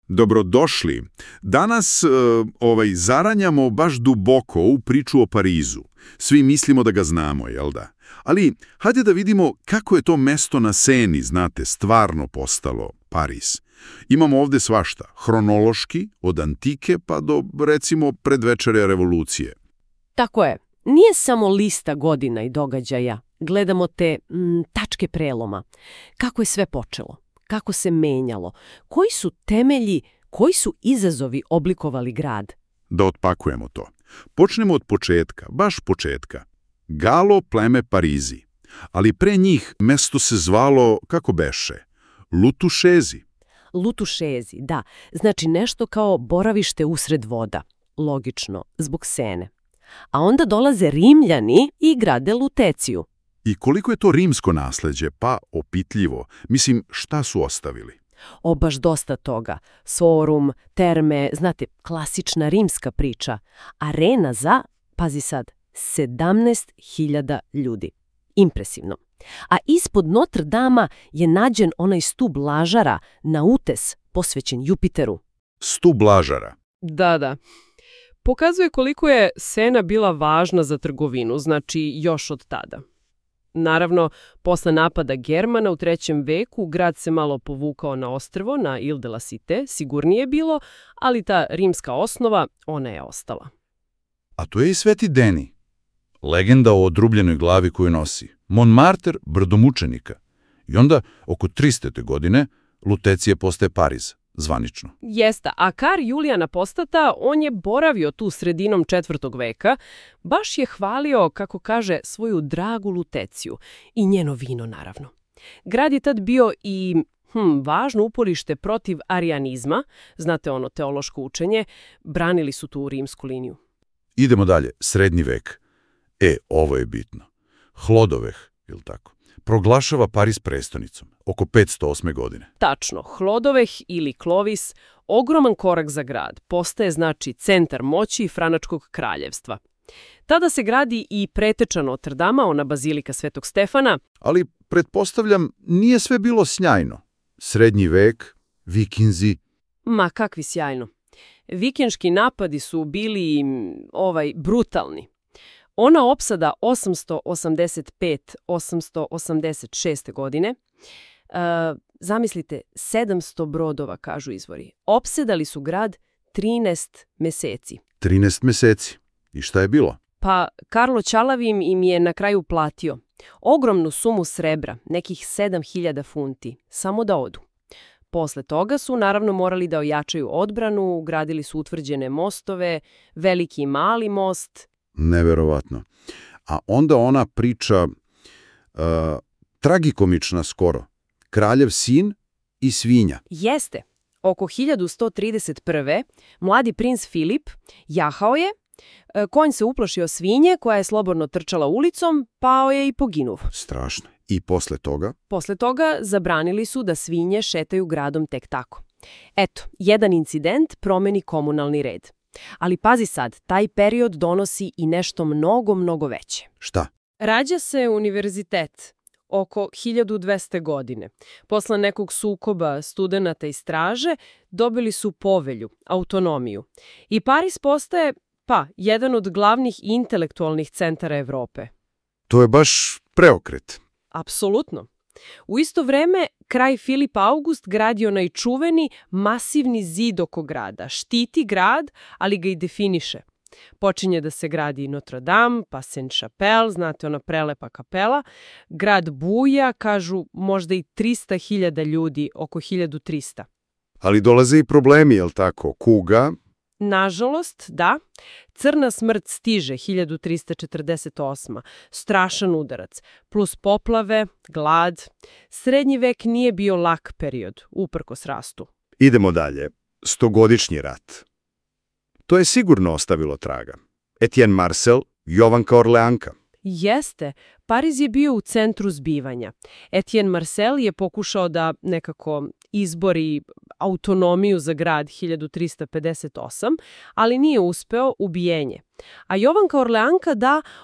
Dobrodošli. Danas zaranjamo baš duboko u priču o Parizu. Svi mislimo da ga znamo, jel da? Ali hajde da vidimo kako je to mesto na Seni, znate, stvarno postalo Pariz. Imamo ovdje svašta, hronološki, od antike pa do, recimo, predvečerja revolucije. Tako je. Nije samo lista godina i događaja. Gledamo te tačke preloma. Kako je sve počelo? Kako se menjalo? Koji su temelji, koji su izazovi oblikovali grad? Da otpakujemo to. Počnemo od početka, baš početka. Galo pleme Parizi. Ali pre njih mesto se zvalo, kako beše, Lutušezi. Lutušezi, da. Znači nešto kao boravište usred voda. Logično, zbog Sene. A onda dolaze Rimljani i grade Luteciju. I koliko je to rimsko nasleđe? Pa opitljivo. Mislim, šta su ostavili? Baš dosta toga. Forum, terme, znate, klasična rimska priča. Arena za, pazi sad, 17.000 ljudi. Impresivno. A ispod Notre Dama je nađen onaj stub Lažara na utes posvećen Jupiteru. Stub Lažara. Da. Pokazuje koliko je Sena bila važna za trgovinu, znači još od tada. Naravno, posle napada Germana u 3. veku grad se malo povukao na ostrvo, na Ile de la Cité, sigurnije je bilo, ali ta rimska osnova, ona je ostala. A to je i Sveti Deni. Legenda o odrubljenoj glavi koju nosi. Montmartre, brdo mučenika. I onda, oko 300. godine, Lutecija postaje Pariz, zvanično. Jeste, a kar Julijan Apostata, on je boravio tu sredinom 4. veka, baš je hvalio, kako kaže, svoju dragu Luteciju i njeno vino, naravno. Grad je tad bio i važno uporište protiv arijanizma, znate ono teološko učenje, branili su tu rimsku liniju. Idemo dalje, srednji vek. Ovo je bitno. Hlodoveh, ili tako, proglašava Pariz prestonicom, oko 508. godine. Tačno, Hlodoveh ili Clovis, ogroman korak za grad, postaje znači centar moći Franačkog kraljevstva. Tada se gradi i preteča Notre Dama, ona bazilika Svetog Stefana. Ali, pretpostavljam, nije sve bilo sjajno. Srednji vek, vikinzi. Ma kakvi sjajno. Vikinški napadi su bili brutalni. Ona opsada 885-886. godine, zamislite, 700 brodova, kažu izvori. Opsedali su grad 13 meseci. 13 meseci. I šta je bilo? Pa Karlo Ćalavim im je na kraju platio ogromnu sumu srebra, nekih 7.000 funti, samo da odu. Posle toga su naravno morali da ojačaju odbranu, gradili su utvrđene mostove, veliki i mali most. Neverovatno. A onda ona priča, tragikomična skoro, kraljev sin i svinja. Jeste. Oko 1131. mladi princ Filip jahao je, konj se uplašio svinje koja je slobodno trčala ulicom, pao je i poginuo. Strašno. I posle toga? Posle toga zabranili su da svinje šetaju gradom tek tako. Eto, jedan incident promeni komunalni red. Ali pazi sad, taj period donosi i nešto mnogo, mnogo veće. Šta? Rađa se univerzitet oko 1200. godine. Posle nekog sukoba studenata i straže dobili su povelju, autonomiju. I Pariz postaje, jedan od glavnih intelektualnih centara Evrope. To je baš preokret. Apsolutno. U isto vreme, kralj Filip August gradi onaj čuveni masivni zid oko grada. Štiti grad, ali ga i definiše. Počinje da se gradi Notre Dame, pa Saint-Chapelle, znate ona prelepa kapela. Grad buja, kažu možda i 300.000 ljudi, oko 1300. Ali dolaze i problemi, jel tako? Kuga? Nažalost, da. Crna smrt stiže 1348. Strašan udarac. Plus poplave, glad. Srednji vek nije bio lak period, uprkos rastu. Idemo dalje. Stogodišnji rat. To je sigurno ostavilo traga. Etienne Marcel, Jovanka Orleanka. Jeste. Pariz je bio u centru zbivanja. Etienne Marcel je pokušao da nekako izbori autonomiju za grad 1358, ali nije uspeo, ubijenje. A Jovanka Orleanka,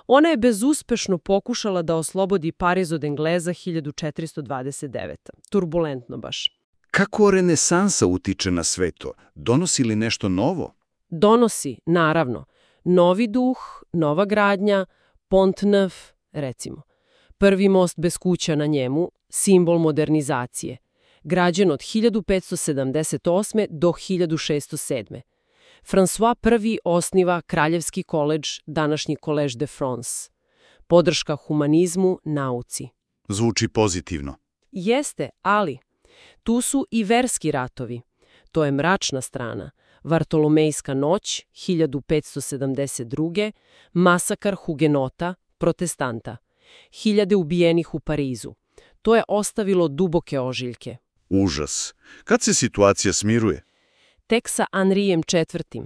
ona je bezuspešno pokušala da oslobodi Pariz od Engleza 1429. Turbulentno baš. Kako renesansa utiče na sve to? Donosi li nešto novo? Donosi, naravno, novi duh, nova gradnja, Pont Neuf, recimo. Prvi most bez kuća na njemu, simbol modernizacije, građen od 1578. do 1607. François I osniva Kraljevski koledž, današnji Collège de France. Podrška humanizmu, nauci. Zvuči pozitivno. Jeste, ali tu su i verski ratovi. To je mračna strana. Vartolomejska noć, 1572. Masakar hugenota, protestanta. 1000 ubijenih u Parizu. To je ostavilo duboke ožiljke. Užas. Kad se situacija smiruje? Tek sa Henrijem IV.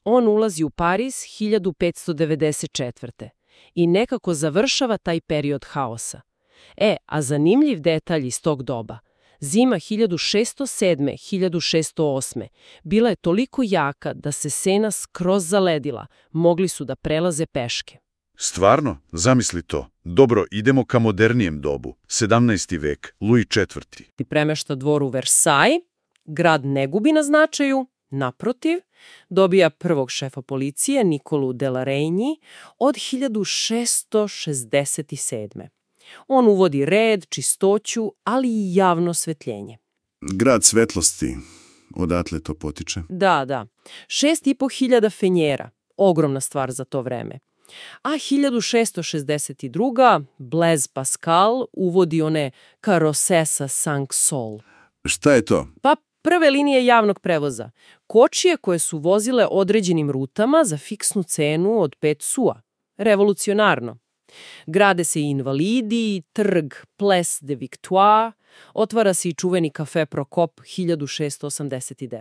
On ulazi u Pariz 1594. i nekako završava taj period haosa. A zanimljiv detalj iz tog doba. Zima 1607-1608. bila je toliko jaka da se Sena skroz zaledila, mogli su da prelaze peške. Stvarno? Zamisli to. Dobro, idemo ka modernijem dobu. 17. vek, Louis IV. Ti premešta dvor u Versailles, grad ne gubi na značaju, naprotiv, dobija prvog šefa policije, Nikolu de la Reynie, od 1667. On uvodi red, čistoću, ali i javno osvetljenje. Grad svetlosti, odatle to potiče. Da. 6500 fenjera, ogromna stvar za to vreme. A 1662. Blaise Pascal uvodi one Carrosses à 5 sols. Šta je to? Pa prve linije javnog prevoza. Kočije koje su vozile određenim rutama za fiksnu cenu od 5 sua. Revolucionarno. Grade se i invalidi, trg Place de Victoire, otvara se i čuveni kafe Prokop 1689.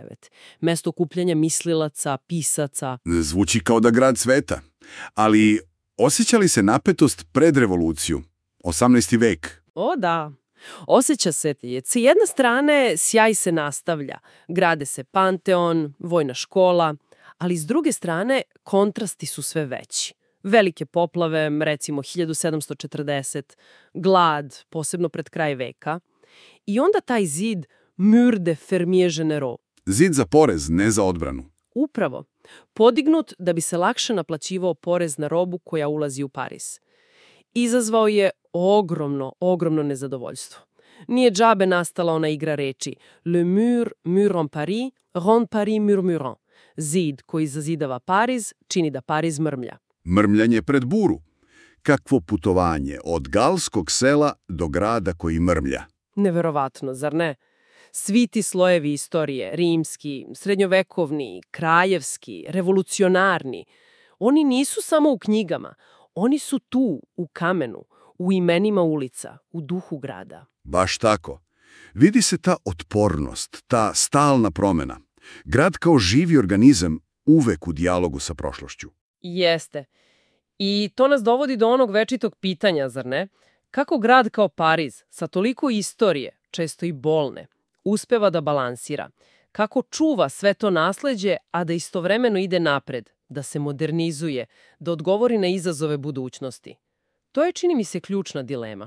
Mesto okupljanja mislilaca, pisaca. Zvuči kao da grad sveta. Ali osjeća li se napetost pred revoluciju? 18. vek. O da, osjeća se. S jedne strane sjaj se nastavlja, grade se Panteon, vojna škola, ali s druge strane kontrasti su sve veći. Velike poplave, recimo 1740, glad, posebno pred kraj veka. I onda taj zid Mur de Fermier Généraux. Zid za porez, ne za odbranu. Upravo, podignut da bi se lakše naplaćivao porez na robu koja ulazi u Pariz. Izazvao je ogromno nezadovoljstvo. Nije džabe nastala ona igra reči Le mur, mur en Paris, rend Paris murmurant. Zid koji zazidava Pariz čini da Pariz mrmlja. Mrmljanje pred buru. Kakvo putovanje od galskog sela do grada koji mrmlja. Neverovatno, zar ne? Svi ti slojevi istorije, rimski, srednjovekovni, kraljevski, revolucionarni, oni nisu samo u knjigama, oni su tu, u kamenu, u imenima ulica, u duhu grada. Baš tako. Vidi se ta otpornost, ta stalna promjena. Grad kao živi organizam uvek u dijalogu sa prošlošću. Jeste. I to nas dovodi do onog večitog pitanja, zar ne? Kako grad kao Pariz, sa toliko istorije, često i bolne, uspeva da balansira? Kako čuva sve to nasleđe, a da istovremeno ide napred, da se modernizuje, da odgovori na izazove budućnosti? To je, čini mi se, ključna dilema.